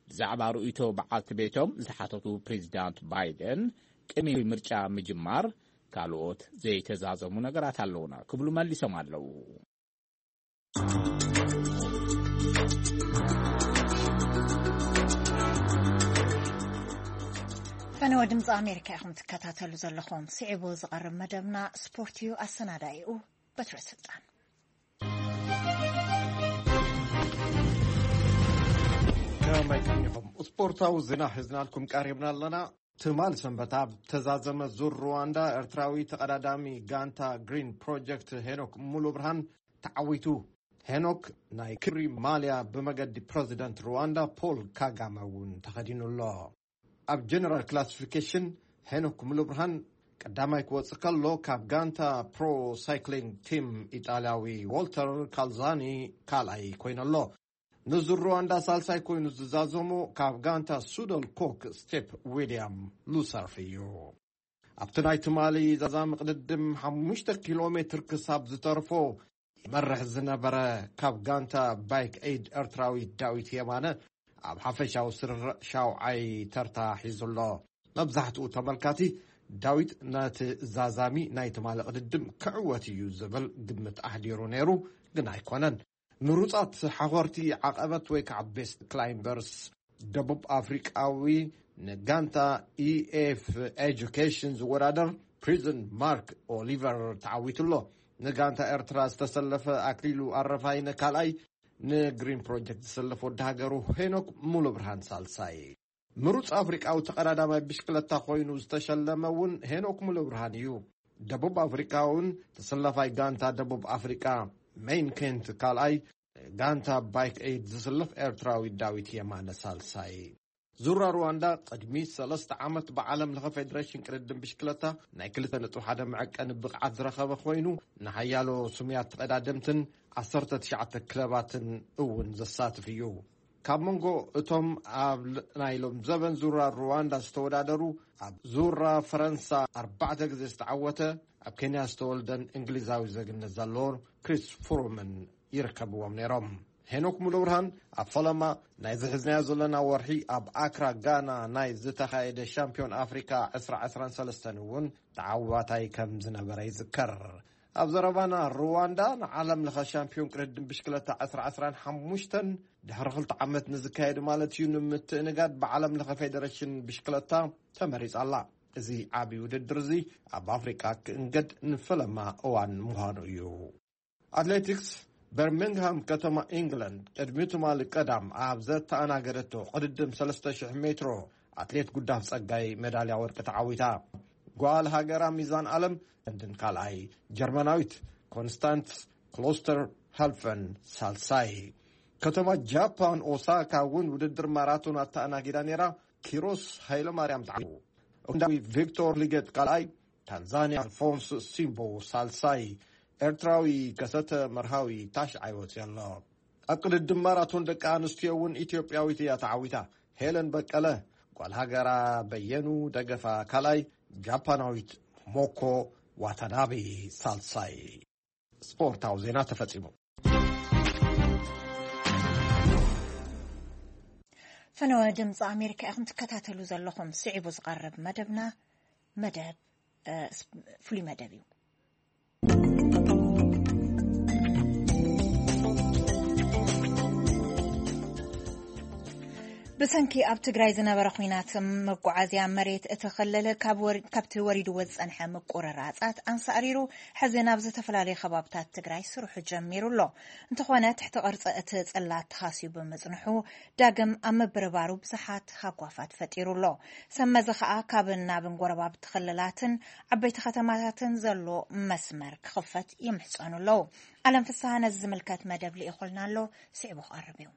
ብዛዕባ ርእይቶ በዓልቲ ቤቶም ዝተሓተቱ ፕሬዚዳንት ባይደን፣ ቅድሚ ምርጫ ምጅማር ካልኦት ዘይተዛዘሙ ነገራት ኣለውና ክብሉ መሊሶም ኣለዉ። ፈነወ ድምፂ ኣሜሪካ ኢኹም ትከታተሉ ዘለኹም። ስዒቡ ዝቐርብ መደብና ስፖርት እዩ። ኣሰናዳኢኡ በትረ ስልጣን። ከመይ ቀኒኹም? ስፖርታዊ ዜና ሒዝናልኩም ቀሪብና ኣለና። ትማል ሰንበት ኣብ ተዛዘመ ዙር ሩዋንዳ፣ ኤርትራዊ ተቐዳዳሚ ጋንታ ግሪን ፕሮጀክት ሄኖክ ሙሉ ብርሃን ተዓዊቱ። ሄኖክ ናይ ክብሪ ማልያ ብመገዲ ፕረዚደንት ሩዋንዳ ፖል ካጋመ እውን ተኸዲኑ ኣሎ። ኣብ ጀነራል ክላሲፊኬሽን ሄኖክ ሙሉ ብርሃን ቀዳማይ ክወጽእ ከሎ፣ ካብ ጋንታ ፕሮ ሳይክሊንግ ቲም ኢጣልያዊ ዎልተር ካልዛኒ ካልኣይ ኮይኑ ኣሎ። ንዙር ሩዋንዳ ሳልሳይ ኮይኑ ዝዛዘሞ ካብ ጋንታ ሱደል ኮክ ስቴፕ ዊልያም ሉሰርፍ እዩ። ኣብቲ ናይ ትማሊ ዛዛሚ ቅድድም ሓሙሽተ ኪሎ ሜትር ክሳብ ዝተርፎ ይመርሕ ዝነበረ ካብ ጋንታ ባይክ ኤድ ኤርትራዊ ዳዊት የማነ ኣብ ሓፈሻዊ ስርርዕ ሻውዓይ ተርታ ሒዙ ኣሎ። መብዛሕትኡ ተመልካቲ ዳዊት ነቲ ዛዛሚ ናይ ትማሊ ቅድድም ክዕወት እዩ ዝብል ግምት ኣሕዲሩ ነይሩ፣ ግን ኣይኮነን። ምሩጻት ሓኾርቲ ዓቐበት ወይ ከዓ ቤስት ክላይምበርስ ደቡብ ኣፍሪቃዊ ንጋንታ ኢኤፍ ኤጁኬሽን ዝወዳደር ፕሪዝን ማርክ ኦሊቨር ተዓዊቱ ኣሎ። ንጋንታ ኤርትራ ዝተሰለፈ ኣክሊሉ ኣረፋይነ ካልኣይ፣ ንግሪን ፕሮጀክት ዝሰለፈ ወዲ ሃገሩ ሄኖክ ሙሉ ብርሃን ሳልሳይ። ምሩጽ ኣፍሪቃዊ ተቐዳዳማይ ብሽክለታ ኮይኑ ዝተሸለመ እውን ሄኖክ ሙሉ ብርሃን እዩ። ደቡብ ኣፍሪቃ እውን ተሰላፋይ ጋንታ ደቡብ ኣፍሪቃ ሜይን ኬንት ካልኣይ፣ ጋንታ ባይክ ኤድ ዝስለፍ ኤርትራዊ ዳዊት የማነ ሳልሳይ። ዙራ ሩዋንዳ ቅድሚ ሰለስተ ዓመት ብዓለም ለኸ ፌዴሬሽን ቅድድም ብሽክለታ ናይ ክልተ ነጥቢ ሓደ መዐቀኒ ብቕዓት ዝረኸበ ኮይኑ፣ ንሓያሎ ስሙያት ተቐዳደምትን ዓሰርተ ትሽዓተ ክለባትን እውን ዘሳትፍ እዩ። ካብ መንጎ እቶም ኣብ ል-፣ ናይ ሎም ዘበን ዙራ ሩዋንዳ ዝተወዳደሩ፣ ኣብ ዙራ ፈረንሳ ኣርባዕተ ግዜ ዝተዓወተ፣ ኣብ ኬንያ ዝተወልደን እንግሊዛዊ ዜግነት ዘለዎን ክሪስ ፍሩምን ይርከብዎም ነይሮም። ሄኖክ ሙሉብርሃን ኣብ ፈለማ ናይ ዝሕዝናዮ ዘለና ወርሒ ኣብ ኣክራ ጋና ናይ ዝተኻየደ ሻምፒዮን ኣፍሪካ ዕስራ ዕስራን ሰለስተን እውን ተዓዋታይ ከም ዝነበረ ይዝከር። ኣብ ዘረባና ሩዋንዳ ንዓለም ለኸ ሻምፒዮን ቅድድም ብሽክለታ ዕስራ ዕስራን ሓሙሽተን ድሕሪ ክልተ ዓመት ንዝካየድ ማለት እዩ ንምትእንጋድ ብዓለም ለኸ ፌዴሬሽን ብሽክለታ ተመሪጻ ኣላ። እዚ ዓቢ ውድድር እዚ ኣብ ኣፍሪቃ ክእንገድ ንፈለማ እዋን ምዃኑ እዩ። ኣትሌቲክስ፣ በርሚንግሃም ከተማ ኢንግላንድ ቅድሚ ትማሊ ቀዳም ኣብ ዘተኣናገደቶ ቅድድም ሰለስተ ሽሕ ሜትሮ ኣትሌት ጉዳፍ ጸጋይ ሜዳልያ ወርቂ ተዓዊታ። ጓል ሃገራ ሚዛን ኣለም ህንድን ካልኣይ፣ ጀርመናዊት ኮንስታንስ ክሎስተር ሃልፈን ሳልሳይ። ከተማ ጃፓን ኦሳካ እውን ውድድር ማራቶን ኣተኣናጊዳ ነይራ። ኪሮስ ሃይለማርያም ተዓዊቱ። ኡጋንዳዊ ቪክቶር ሊጌት ካልኣይ፣ ታንዛንያ ኣልፎንስ ሲምቦ ሳልሳይ፣ ኤርትራዊ ከሰተ መርሃዊ ታሽዓይ ወፂኡ ኣሎ። ኣብ ቅድድም ማራቶን ደቂ ኣንስትዮ እውን ኢትዮጵያዊት እያ ተዓዊታ። ሄለን በቀለ፣ ጓል ሃገራ በየኑ ደገፋ ካልኣይ፣ ጃፓናዊት ሞኮ ዋታናቤ ሳልሳይ። ስፖርታዊ ዜና ተፈጺሙ። ፈነወ ድምፂ ኣሜሪካ ኢኹም ትከታተሉ ዘለኹም። ስዒቡ ዝቐርብ መደብና መደብ፣ እ፣ ስ-፣ ፍሉይ መደብ እዩ። ብሰንኪ ኣብ ትግራይ ዝነበረ ኲናት፣ መጓዓዝያ መሬት እቲ ክልል ካብ ወሪ-፣ ካብቲ ወሪድዎ ዝጸንሐ ምቁርራጻት ኣንሳእሪሩ፣ ሕዚ ናብ ዝተፈላለዩ ከባብታት ትግራይ ስርሑ ጀሚሩ ኣሎ። እንተኾነ፣ ትሕቲ ቅርጺ እቲ ጽላት ተኻስዩ ብምጽንሑ፣ ዳግም ኣብ ምብርባሩ ብዙሓት ሃጓፋት ፈጢሩ ኣሎ። ሰብ መዚ ከኣ ካብን ናብን ጎረባብቲ ክልላትን ዓበይቲ ከተማታትን ዘሎ መስመር ክኽፈት ይምሕጸኑ ኣለዉ። ኣለም ፍስሃ ነዚ ዝምልከት መደብ ልኢኹልና ኣሎ፣ ስዒቡ ክቐርብ እዩ።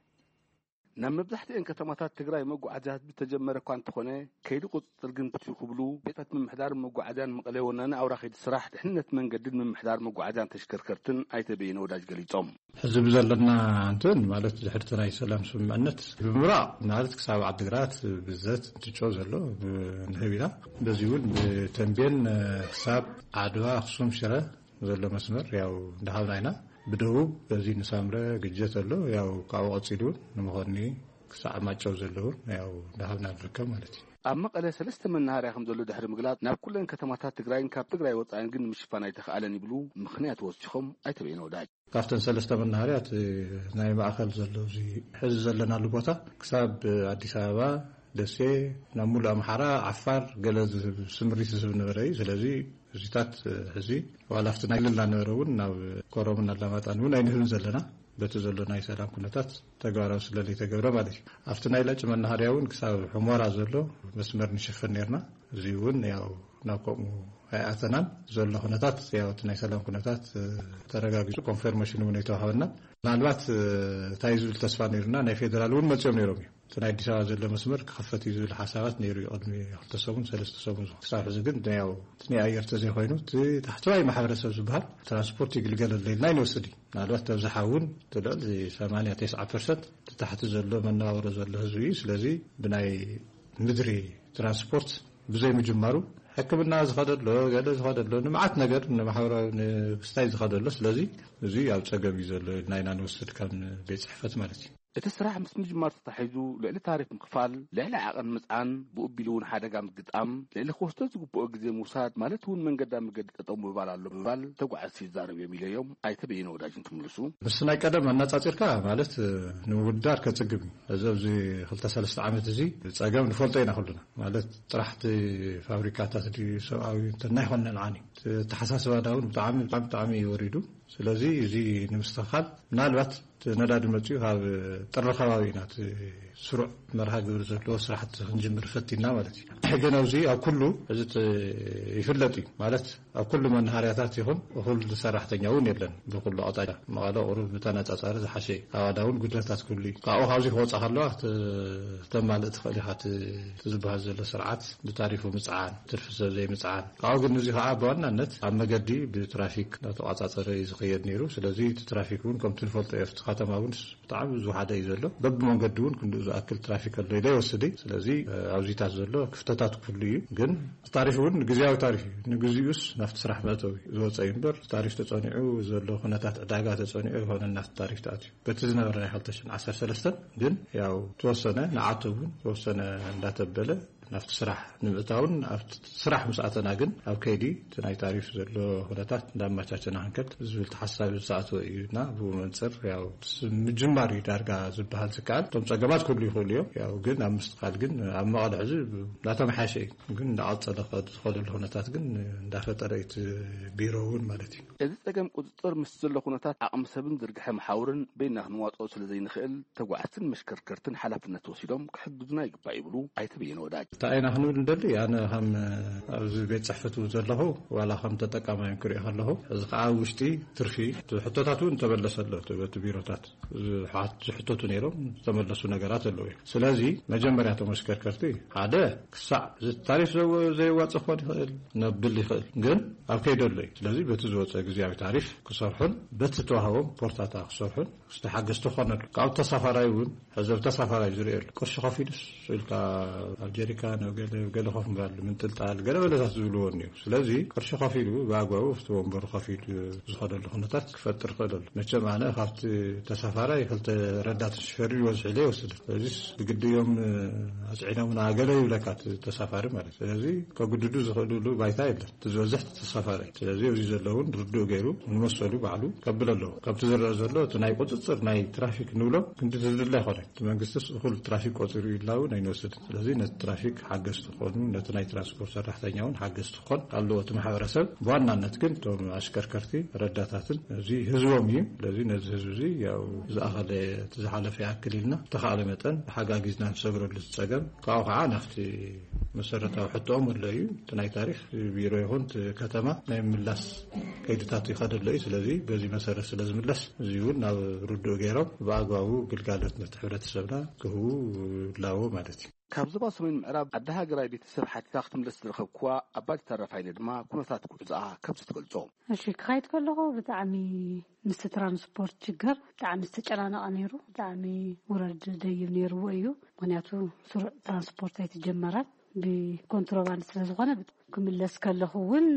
ናብ መብዛሕትኤን ከተማታት ትግራይ መጓዓዝያ ህዝቢ ተጀመረ እኳ እንተኾነ፣ ከይዲ ቁፅፅር ግን ብትዩ ክብሉ ቤታት ምምሕዳር መጓዓዝያን መቐለ ወናኒ ኣውራ ከይዲ ስራሕ ድሕንነት መንገድን ምምሕዳር መጓዓዝያን ተሽከርከርትን ኣይተ በየነ ወዳጅ ገሊፆም። ሕዚ ብዘለና እንትን ማለት ድሕርቲ ናይ ሰላም ስምምዕነት ብምብራቕ ማለት ክሳብ ዓድግራት ብዘት እንትጮ ዘሎ ንህብ ኢና። በዚ እውን ብተንቤን ክሳብ ዓድዋ ኣኽሱም ሽረ ዘሎ መስመር ያው እንዳሃብና ኢና። ብደቡብ በዚ ንሳምረ ግጀት ኣሎ ያው ካብኡ ቀፂሉ እውን ንምኾኒ ክሳዕ ማጨው ዘለውን ያው እንዳሃብና ንርከብ ማለት እዩ። ኣብ መቐለ ሰለስተ መናሃርያ ከም ዘሎ ድሕሪ ምግላፅ፣ ናብ ኩለን ከተማታት ትግራይን ካብ ትግራይ ወፃኢን ግን ንምሽፋን ኣይተኽኣለን ይብሉ ምኽንያት ወሲኾም ኣይተ በየነ ወዳጅ። ካብተን ሰለስተ መናሃርያ እቲ ናይ ማእኸል ዘሎ እዚ ሕዚ ዘለናሉ ቦታ ክሳብ ኣዲስ ኣበባ፣ ደሴ፣ ናብ ሙሉእ ኣምሓራ፣ ዓፋር ገለ ዝህብ ስምሪት ዝህብ ነበረ እዩ። ስለዚ እዚታት ሕዚ ዋላ ኣብቲ ናይ ልላ ነበረ እውን ናብ ኮረምን ኣላማጣን እውን ኣይንህብን ዘለና። በቲ ዘሎ ናይ ሰላም ኩነታት ተግባራዊ ስለ ዘይተገብረ ማለት እዩ። ኣብቲ ናይ ላጭ መናሃርያ እውን ክሳብ ሑመራ ዘሎ መስመር ንሽፍን ነርና። እዚ እውን ያው ናብ ከምኡ ኣይኣተናን። ዘሎ ኩነታት ያው እቲ ናይ ሰላም ኩነታት ተረጋጊጹ ኮንፈርሜሽን እውን ኣይተዋሃበና። ምናልባት እንታይ ዝብል ተስፋ ነይሩና ናይ ፌደራል እውን መጺኦም ነይሮም እዩ። እቲ ናይ ኣዲስ ኣበባ ዘሎ መስመር ክኸፈት እዩ ዝብል ሓሳባት ነይሩ እዩ ቅድሚ ክልተ ሰሙን ሰለስተ ሰሙን። ክሳብ ሕዚ ግን ያው እቲ ናይ ኣየር ተዘይኮይኑ እቲ ታሕተዋይ ማሕበረሰብ ዝበሃል ትራንስፖርት ይግልገለሉ ኢልና ኣይንወስድ እዩ። ምናልባት ተብዝሓ እውን እቲ ልዕሊ ሰማንያ ተስዓ ፐርሰንት እቲ ታሕቲ ዘሎ መነባብሮ ዘሎ ህዝቢ እዩ። ስለዚ ብናይ ምድሪ ትራንስፖርት ብዘይ ምጅማሩ ሕክምና ዝኸደሎ ገለ ዝኸደሎ ንመዓት ነገር ንማሕበራዊ ንክስታይ ዝኸደሎ ስለዚ እዚ ኣብ ጸገም እዩ ዘሎ ኢልና ኢና ንወስድ ከም ቤት ጽሕፈት ማለት እዩ። እቲ ስራሕ ምስ ምጅማር ተታሒዙ ልዕሊ ታሪፍ ምኽፋል፣ ልዕሊ ዓቐን ምጽዓን፣ ብኡ ቢሉ እውን ሓደጋ ምግጣም፣ ልዕሊ ክወስዶ ዝግብኦ ግዜ ምውሳድ ማለት እውን መንገዳ መገዲ ጠጠው ምባል ኣሎ ምባል ተጓዓዝቲ ይዛረቡ እዮም ኢለዮም ኣይተ በየነ ወዳጅ እንትምልሱ። ምስ ናይ ቀደም ኣነጻጺርካ ማለት ንምውዳር ከጽግም እዩ። እዚ ኣብዚ ክልተ ሰለስተ ዓመት እዚ ጸገም ንፈልጦ ኢና ኩልና። ማለት ጥራሕ እቲ ፋብሪካታት ድዩ ሰብኣዊ እንተ ናይ ኾነ ልዓኒ። እቲ ኣተሓሳስባና እውን ብጣዕሚ፣ ብጣዕሚ፣ ብጣዕሚ እዩ ወሪዱ። ስለዚ እዚ ንምስትኽኻል ምናልባት እቲ ነዳዲ መጺኡ ካብ ጥሪ ከባቢ ኢና እቲ ስሩዕ መርሃ ግብሪ ዘለዎ ስራሕቲ ክንጅምር ፈቲና ማለት እዩ። ሕገን ኣብዚ ኣብ ኩሉ እዚ ት-፣ ይፍለጥ እዩ ማለት ኣብ ኩሉ መናሃርያታት ይኹን እኹል ሰራሕተኛ እውን የለን። ብኩሉ ኣቕጣጫ መቐለ ቁሩብ ብተነጻጻሪ ዝሓሸ እዩ። ኣዋዳ እውን ጉድለታት ክህሉ እዩ። ካብኡ ካብዚ ክወጻ ከለዋ እቲ ክተማልእ ትኽእል ኢኻ። እቲ፣ እቲ ዝበሃል ዘሎ ስርዓት ብታሪፉ ምጽዓን፣ ትርፊ ሰብ ዘይምጽዓን። ካብኡ ግን እዚ ከዓ ብዋናነት ኣብ መገዲ ብትራፊክ እናተቋጻጸረ እዩ ዝኸየድ ነይሩ። ስለዚ እቲ ትራፊክ እውን ከምቲ ንፈልጦ እዩ። ኣብቲ ከተማ እውን ብጣዕሚ ዝወሓደ እዩ ዘሎ። በብመንገዲ እውን ክንድኡ ዝኣክል ትራፊክ ኣሎ ኢለ ይወስድ እዩ። ስለዚ ኣብዚታት ዘሎ ክፍተታት ክህሉ እዩ። ግን ታሪፍ እውን ግዜያዊ ታሪፍ እዩ። ንግዚኡስ ናብቲ ስራሕ መእተዊ ዝወፀ እዩ እምበር ታሪፍ ተፀኒዑ ዘሎ ኩነታት ዕዳጋ ተፀኒዑ ይኮነ ናብቲ ታሪፍ ተኣትዩ። በቲ ዝነበረ ናይ ክልተ ሽሕን ዓሰርተ ሰለስተን ግን ያው ተወሰነ ንዓቶም እውን ተወሰነ እንዳተበለ ናብቲ ስራሕ ንምእታውን ኣብቲ ስራሕ ምስ ኣተና ግን ኣብ ከይዲ እቲ ናይ ታሪፍ ዘሎ ኩነታት እንዳመቻቸና ክንከድ ዝብል ተሓሳቢ ዝተኣተወ እዩ እና ብኡ መንፅር ያው ስ-፣ ምጅማር እዩ ዳርጋ ዝበሃል ዝከኣል። እቶም ፀገማት ክህሉ ይኽእሉ እዮም። ያው ግን ኣብ ምስትኻል ግን ኣብ መቐለ ሕዚ እንዳተመሓሸ እዩ። ግን እንዳቐፀለ ከ-፣ ዝኸደሉ ኩነታት ግን እንዳፈጠረ እዩ እቲ ቢሮ እውን ማለት እዩ። እዚ ጸገም ቁጽጽር ምስ ዘሎ ኩነታት ዓቕሚ ሰብን ዝርግሐ መሓውርን በይና ክንዋጽኦ ስለ ዘይንኽእል፣ ተጓዓዝትን መሽከርከርትን ሓላፍነት ወሲዶም ክሕግዙና ይግባእ ይብሉ ኣይተ በየነ ወዳጅ። እንታይ ኢና ክንብል ንደሊ? ኣነ ከም ኣብዚ ቤት ጽሕፈት እውን ዘለኹ ዋላ ከም ተጠቃማይ ክሪኦ ከለኹ፣ እዚ ከዓ ኣብ ውሽጢ ትርፊ ሕቶታት እውን ተመለሰ ኣሎ። እቲ በቲ ቢሮታት ዝሓት-፣ ዝሕተቱ ነይሮም ዝተመለሱ ነገራት ኣለዉ እዮም። ስለዚ መጀመርያ እቶም ኣሽከርከርቲ ሓደ ክሳዕ እዚ ታሪፍ ዘው-፣ ዘየዋጽእ ክኾን ይኽእል፣ ነብል ይኽእል፣ ግን ኣብ ከይዲ ኣሎ እዩ። ስለዚ በቲ ዝወፀ ግዜያዊ ታሪፍ ክሰርሑን በቲ ዝተዋህቦም ፖርታታ ክሰርሑን ዝተሓገዝቲ ክኾነሉ። ካብ ተሳፋራይ እውን ሕዚ ኣብ ተሳፋራይ ዝርእየሉ ቅርሺ ከፊሉስ ኢልካ ኣብ ጀሪካ ናብ ገለ ገለ ኮፍ ምባል፣ ምንጥልጣል፣ ገለ በለታት ዝብልዎ እኒኦ። ስለዚ ቅርሺ ከፊሉ ብኣግባቡ ኣብቲ ወንበሩ ከፊሉ ዝኸደሉ ኩነታት ክፈጥር ክእል ኣሎ። መቸም ኣነ ካብቲ ተሳፋራይ ክልተ ረዳት ሽፈር ይወስድ ኢለ ይወስድ። ስለዚስ ብግዲ እዮም ኣፅዒኖምና ገለ ይብለካ እቲ ተሳፋሪ ማለት እዩ። ስለዚ ከጉድዱ ዝኽእልሉ ባይታ የለን። እቲ ዝበዝሕ ተሳፋሪ። ስለዚ እዚ ዘለውን ርዱእ ገይሩ ንመሰሉ ባዕሉ ከብል ኣለዎ። ከምቲ ዝረአ ዘሎ እቲ ናይ ቁፅፅር ናይ ትራፊክ ንብሎ ክንዲ ዝድለ ኣይኮነን። እቲ መንግስትስ እኹል ትራፊክ ቆፂሩ ኢልና እውን ኣይንወስድን። ስለዚ ነቲ ትራፊክ ሓገዝቲ ክኾኑ፣ ነቲ ናይ ትራንስፖርት ሰራሕተኛ እውን ሓገዝቲ ክኾን ኣለዎ እቲ ማሕበረሰብ። ብዋናነት ግን እቶም ኣሽከርከርቲ ረዳታትን እዚ ህዝቦም እዩ። ስለዚ ነዚ ህዝቢ እዚ ያው ዝኣኸለ እቲ ዝሓለፈ ይኣክል ኢልና ብተኻእለ መጠን ተሓጋጊዝና ንሰግረሉ ዝፀገም ካብኡ ከዓ ናብቲ መሰረታዊ ሕቶኦም ኣሎ እዩ። እቲ ናይ ታሪክ ቢሮ ይኹን እቲ ከተማ ናይ ምላስ ከይድታት ይኸደሎ እዩ። ስለዚ በዚ መሰረት ስለ ዝምለስ እዚ እውን ናብ ርዱእ ገይሮም ብኣግባቡ ግልጋሎት ነቲ ሕብረተሰብና ክህቡ ይላዎ ማለት እዩ። ካብ ዞባ ሰሜን ምዕራብ ዓዲ ሃገራይ ቤተሰብ ሓቲታ ክትምለስ ዝረኸብክዋ ኣባዲ ተረፋይነ ድማ ኩነታት ጉዕዞኣ ከምዚ ትገልጾ። እሺ፣ ክኸይድ ከለኹ ብጣዕሚ ምስቲ ትራንስፖርት ችግር ብጣዕሚ ዝተጨናነቐ ነይሩ። ብጣዕሚ ውረድ ደይብ ነይርዎ እዩ። ምኽንያቱ ስሩዕ ትራንስፖርት ኣይተጀመረን። ብኮንትሮባንድ ስለ ዝኾነ ክምለስ ከለኹ እውን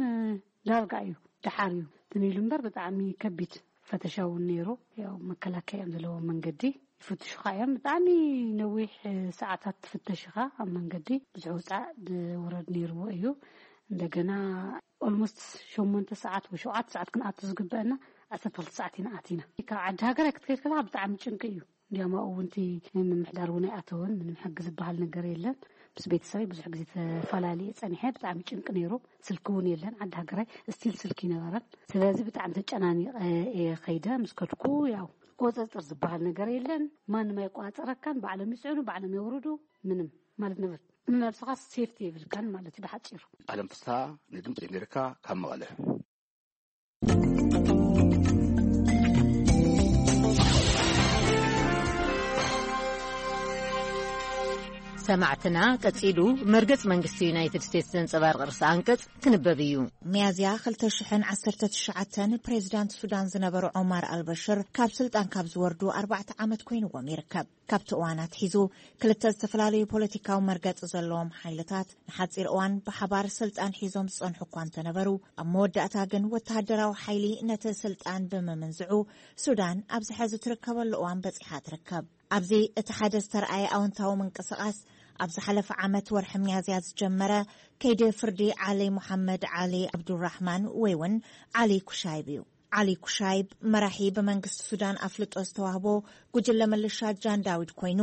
ዳርጋ እዩ፣ ደሓር እዩ ትንኢሉ እምበር ብጣዕሚ ከቢድ ፈተሻ እውን ነይሩ። ያው መከላከያ እዮም ዘለዎ መንገዲ ይፍትሹኻ እዮም። ብጣዕሚ ነዊሕ ሰዓታት ትፍተሽኻ ኣብ መንገዲ። ብዙሕ ውፃእ ውረድ ነይርዎ እዩ። እንደገና ኦልሞስት ሸሞንተ ሰዓት ወይ ሸውዓተ ሰዓት ክንኣቱ ዝግበአና ዓሰርተ ክልተ ሰዓት ኢና ኣቲና። ካብ ዓዲ ሃገር ክትከይድ ከለካ ብጣዕሚ ጭንቂ እዩ። እንዲያም ኣብኡ እውን እቲ ምምሕዳር እውን ኣይኣተወን። ምንም ሕጊ ዝበሃል ነገር የለን። ምስ ቤተሰበይ ብዙሕ ግዜ ተፈላለየ ጸኒሐ። ብጣዕሚ ጭንቂ ነይሩ። ስልኪ እውን የለን። ዓዲ ሃገራይ ስቲል ስልኪ ይነበረን። ስለዚ ብጣዕሚ ተጨናኒቐ እየ ከይደ። ምስ ከድኩ ያው ቁፅፅር ዝበሃል ነገር የለን። ማንም ኣይቆፃፀረካን። ባዕሎም ይፅዕኑ፣ ባዕሎም የውርዱ። ምንም ማለት ንብረት ንነብስኻ ሴፍቲ የብልካን ማለት እዩ ብሓፂሩ። ኣለም ፍስሃ ንድምፂ ኣሜሪካ ካብ መቐለ። ሰማዕትና ቀጺሉ መርገጽ መንግስቲ ዩናይትድ ስቴትስ ዘንጸባርቕ ርእሰ ኣንቀጽ ክንበብ እዩ። ሚያዝያ ክልተ ሽሕን ዓሰርተ ትሽዓተን ፕሬዚዳንት ሱዳን ዝነበሩ ዖማር ኣልበሽር ካብ ስልጣን ካብ ዝወርዱ ኣርባዕተ ዓመት ኮይንዎም ይርከብ። ካብቲ እዋን ኣትሒዙ ክልተ ዝተፈላለዩ ፖለቲካዊ መርገጺ ዘለዎም ሓይልታት ንሓጺር እዋን ብሓባር ስልጣን ሒዞም ዝጸንሑ እኳ እንተነበሩ፣ ኣብ መወዳእታ ግን ወተሃደራዊ ሓይሊ ነቲ ስልጣን ብምምንዝዑ ሱዳን ኣብዚ ሕዚ ትርከበሉ እዋን በጺሓ ትርከብ። ኣብዚ እቲ ሓደ ዝተረኣየ ኣወንታዊ ምንቅስቓስ ኣብ ዝሓለፈ ዓመት ወርሒ ሚያዝያ ዝጀመረ ከይዲ ፍርዲ ዓሊ ሙሓመድ ዓሊ ዓብዱራሕማን ወይ እውን ዓሊ ኩሻይብ እዩ። ዓሊ ኩሻይብ መራሒ ብመንግስቲ ሱዳን ኣፍልጦ ዝተዋህቦ ጉጅለ ምልሻ ጃን ዳዊድ ኮይኑ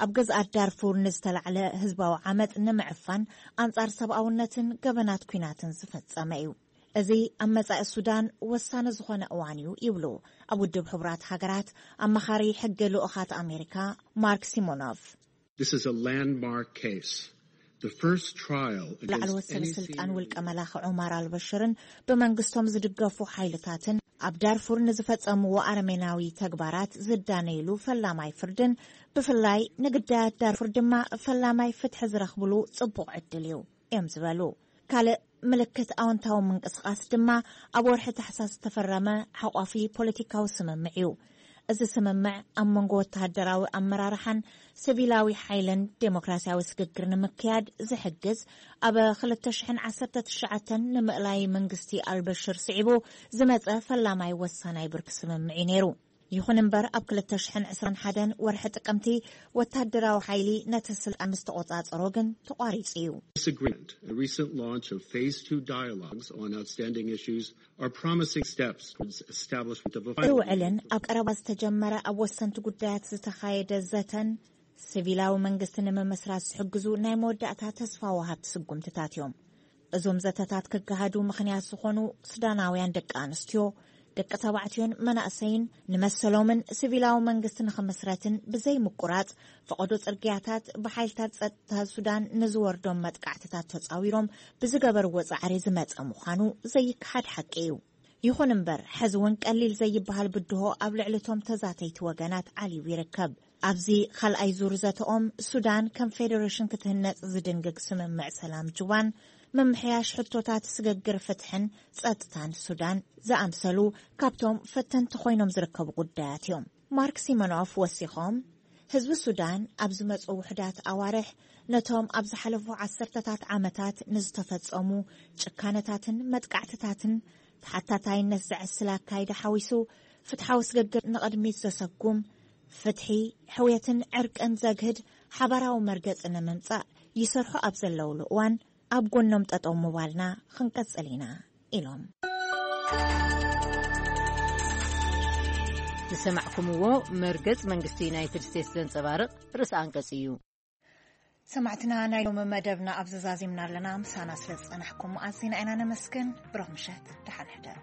ኣብ ግዝኣት ዳርፉር ንዝተላዕለ ህዝባዊ ዓመፅ ንምዕፋን ኣንጻር ሰብኣውነትን ገበናት ኲናትን ዝፈጸመ እዩ። እዚ ኣብ መጻኢ ሱዳን ወሳኒ ዝኾነ እዋን እዩ ይብሉ ኣብ ውድብ ሕቡራት ሃገራት ኣማኻሪ ሕጊ ልኡኻት ኣሜሪካ ማርክ ሲሞኖቭ። This is a landmark case. The first trial ላዕለዎት ሰበ ስልጣን ውልቀ መላኺ ዑማር ኣልበሽርን ብመንግስቶም ዝድገፉ ሓይልታትን ኣብ ዳርፉር ንዝፈጸምዎ ኣረሜናዊ ተግባራት ዝዳነይሉ ፈላማይ ፍርድን ብፍላይ ንግዳያት ዳርፉር ድማ ፈላማይ ፍትሒ ዝረኽብሉ ጽቡቕ ዕድል እዩ እዮም ዝበሉ። ካልእ ምልክት ኣወንታዊ ምንቅስቓስ ድማ ኣብ ወርሒ ታሕሳስ ዝተፈረመ ሓቋፊ ፖለቲካዊ ስምምዕ እዩ። እዚ ስምምዕ ኣብ መንጎ ወተሃደራዊ ኣመራርሓን ሲቪላዊ ሓይልን ዴሞክራሲያዊ ስግግር ንምክያድ ዝሕግዝ ኣብ ክልተ ሽሕን ዓሰርተ ትሽዓተን ንምእላይ መንግስቲ ኣልበሽር ስዒቡ ዝመጸ ፈላማይ ወሳናይ ብርኪ ስምምዕ እዩ ነይሩ። ይኹን እምበር ኣብ ክልተ ሽሕን ዕስራን ሓደን ወርሒ ጥቅምቲ ወታደራዊ ሓይሊ ነቲ ስልጣን ምስ ተቖጻጸሮ ግን ተቋሪጹ እዩ። This agreement, a recent launch of phase two dialogues on outstanding issues, are promising steps towards establishment of a final ውዕልን ኣብ ቀረባ ዝተጀመረ ኣብ ወሰንቲ ጉዳያት ዝተኻየደ ዘተን ሲቪላዊ መንግስቲ ንምምስራት ዝሕግዙ ናይ መወዳእታ ተስፋ ወሃብቲ ስጉምትታት እዮም። እዞም ዘተታት ክገሃዱ ምኽንያት ዝኾኑ ሱዳናውያን ደቂ ኣንስትዮ፣ ደቂ ተባዕትዮን መናእሰይን ንመሰሎምን ሲቪላዊ መንግስቲ ንኽምስረትን ብዘይምቁራጽ ፈቐዶ ጽርግያታት ብሓይልታት ጸጥታ ሱዳን ንዝወርዶም መጥቃዕትታት ተጻዊሮም ብዝገበርዎ ጻዕሪ ዝመጸ ምዃኑ ዘይከሓድ ሓቂ እዩ። ይኹን እምበር፣ ሕዚ እውን ቀሊል ዘይበሃል ብድሆ ኣብ ልዕሊ እቶም ተዛተይቲ ወገናት ዓልዩ ይርከብ። ኣብዚ ካልኣይ ዙር ዘተኦም፣ ሱዳን ከም ፌደሬሽን ክትህነጽ ዝድንግግ ስምምዕ ሰላም ጁባን ምምሕያሽ ሕቶታት ስግግር ፍትሕን ጸጥታን ሱዳን ዝኣምሰሉ ካብቶም ፈተንቲ ኮይኖም ዝርከቡ ጉዳያት እዮም። ማርክ ሲሞኖፍ ወሲኾም፣ ህዝቢ ሱዳን ኣብ ዝመጹ ውሑዳት ኣዋርሕ ነቶም ኣብ ዝሓለፉ ዓሰርተታት ዓመታት ንዝተፈጸሙ ጭካነታትን መጥቃዕትታትን ተሓታታይነት ዘዕስል ኣካይዳ ሓዊሱ ፍትሓዊ ስግግር ንቕድሚት ዘሰጉም፣ ፍትሒ፣ ሕውየትን ዕርቅን ዘግህድ ሓባራዊ መርገጺ ንምምጻእ ይሰርሑ ኣብ ዘለውሉ እዋን ኣብ ጎኖም ጠጠው ምባልና ክንቀጽል ኢና ኢሎም። ዝሰማዕኩምዎ መርገጽ መንግስቲ ዩናይትድ ስቴትስ ዘንጸባርቕ ርእሰ ኣንቀጽ እዩ። ሰማዕትና፣ ናይ ሎሚ መደብና ኣብ ዘዛዚምና ኣለና። ምሳና ስለ ዝጸናሕኩም ኣዚና ኢና ነመስግን። ብሩኽ ምሸት፣ ደሓን ሕደሩ።